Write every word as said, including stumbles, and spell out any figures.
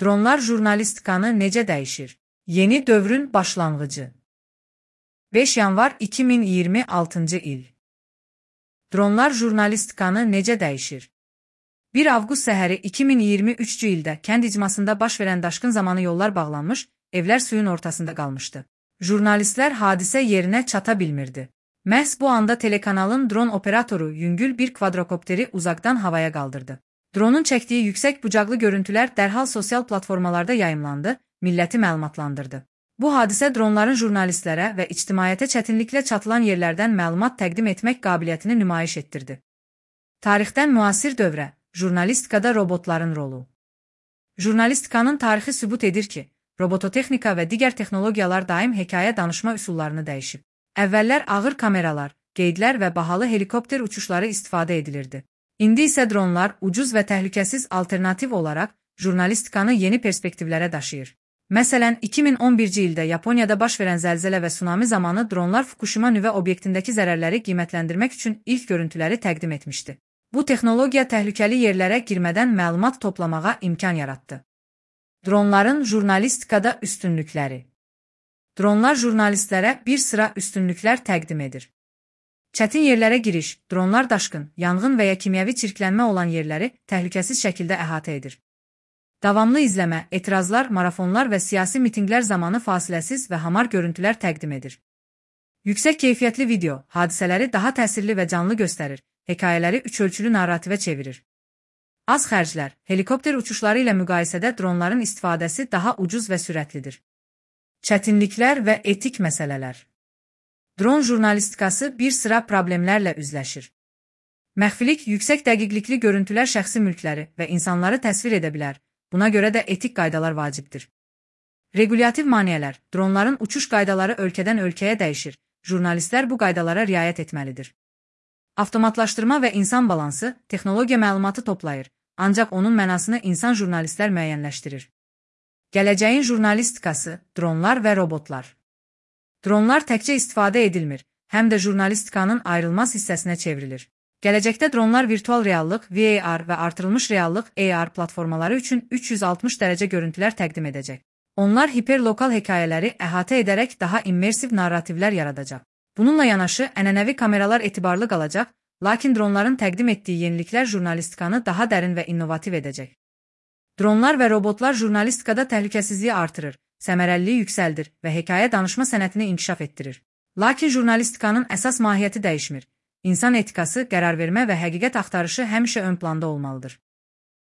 Dronlar jurnalistikanı necə dəyişir? Yeni dövrün başlanğıcı. beş yanvar iki min iyirmi altıncı il. Dronlar jurnalistikanı necə dəyişir? bir avqust səhəri iki min iyirmi üçüncü ildə kənd icmasında baş verən daşqın zamanı yollar bağlanmış, evlər suyun ortasında qalmışdı. Jurnalistlər hadisə yerinə çata bilmirdi. Məhz bu anda telekanalın dron operatoru yüngül bir kvadrokopteri uzaqdan havaya qaldırdı. Dronun çəkdiyi yüksək bucaqlı görüntülər dərhal sosial platformalarda yayımlandı, milləti məlumatlandırdı. Bu hadisə dronların jurnalistlərə və ictimaiyyətə çətinliklə çatılan yerlərdən məlumat təqdim etmək qabiliyyətini nümayiş etdirdi. Tarixdən müasir dövrə, jurnalistikada robotların rolu. Jurnalistikanın tarixi sübut edir ki, robototexnika və digər texnologiyalar daim hekayə danışma üsullarını dəyişib. Əvvəllər ağır kameralar, qeydlər və bahalı helikopter uçuşları istifadə edilirdi. İndi isə dronlar ucuz və təhlükəsiz alternativ olaraq jurnalistikanı yeni perspektivlərə daşıyır. Məsələn, iki min on birinci ildə Yaponiyada baş verən zəlzələ və tsunami zamanı dronlar Fukushima nüvə obyektindəki zərərləri qiymətləndirmək üçün ilk görüntüləri təqdim etmişdi. Bu texnologiya təhlükəli yerlərə girmədən məlumat toplamağa imkan yaratdı. Dronların jurnalistikada üstünlükləri. Dronlar jurnalistlərə bir sıra üstünlüklər təqdim edir. Çətin yerlərə giriş, dronlar daşqın, yanğın və ya kimyəvi çirklənmə olan yerləri təhlükəsiz şəkildə əhatə edir. Davamlı izləmə, etirazlar, marafonlar və siyasi mitinqlər zamanı fasiləsiz və hamar görüntülər təqdim edir. Yüksək keyfiyyətli video, hadisələri daha təsirli və canlı göstərir, hekayələri üçölçülü narrativə çevirir. Az xərclər, helikopter uçuşları ilə müqayisədə dronların istifadəsi daha ucuz və sürətlidir. Çətinliklər və etik məsələlər. Dron jurnalistikası bir sıra problemlərlə üzləşir. Məxfilik, yüksək dəqiqlikli görüntülər şəxsi mülkləri və insanları təsvir edə bilər, buna görə də etik qaydalar vacibdir. Regulyativ maneələr, dronların uçuş qaydaları ölkədən ölkəyə dəyişir, jurnalistlər bu qaydalara riayət etməlidir. Avtomatlaşdırma və insan balansı, texnologiya məlumatı toplayır, ancaq onun mənasını insan jurnalistlər müəyyənləşdirir. Gələcəyin jurnalistikası, dronlar və robotlar. Dronlar təkcə istifadə edilmir, həm də jurnalistikanın ayrılmaz hissəsinə çevrilir. Gələcəkdə dronlar virtual reallıq, V R və artırılmış reallıq A R platformaları üçün üç yüz altmış dərəcə görüntülər təqdim edəcək. Onlar hiperlokal hekayələri əhatə edərək daha immersiv narrativlər yaradacaq. Bununla yanaşı, ənənəvi kameralar etibarlı qalacaq, lakin dronların təqdim etdiyi yeniliklər jurnalistikanı daha dərin və innovativ edəcək. Dronlar və robotlar jurnalistikada təhlükəsizliyi artırır, səmərəliliyi yüksəldir və hekayə danışma sənətini inkişaf etdirir. Lakin jurnalistikanın əsas mahiyyəti dəyişmir. İnsan etikası, qərar vermə və həqiqət axtarışı həmişə ön planda olmalıdır.